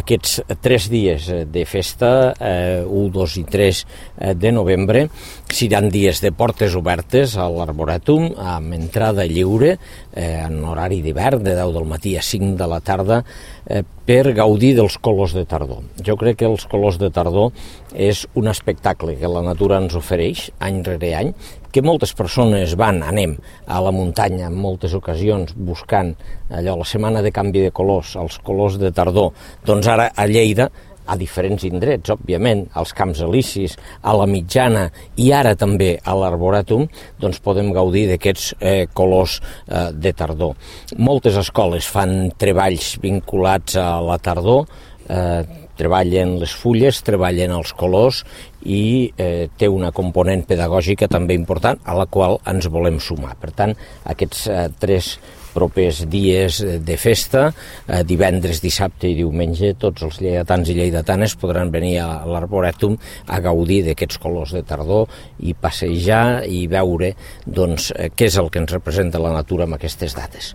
aquests 3 dies de festa, 1, 2 i 3 de novembre, seran dies de portes obertes a l'Arborètum, amb entrada lliure, en horari d'hivern, de 10 del matí a 5 de la tarda, per gaudir dels colors de tardor. Jo crec que els colors de tardor és un espectacle que la natura ens ofereix any rere any, que moltes persones anem a la muntanya en moltes ocasions buscant allò, la setmana de canvi de colors, els colors de tardor. Doncs ara a Lleida, a diferents indrets, òbviament, als Camps Elisis, a la Mitjana i ara també a l'Arborètum, doncs podem gaudir d'aquests colors de tardor. Moltes escoles fan treballs vinculats a la tardor, treballen les fulles, treballen els colors i té una component pedagògica també important a la qual ens volem sumar. Per tant, aquests 3 propers dies de festa, divendres, dissabte i diumenge, tots els lleidatans i lleidatanes podran venir a l'Arborètum a gaudir d'aquests colors de tardor i passejar i veure doncs, què és el que ens representa la natura en aquestes dates.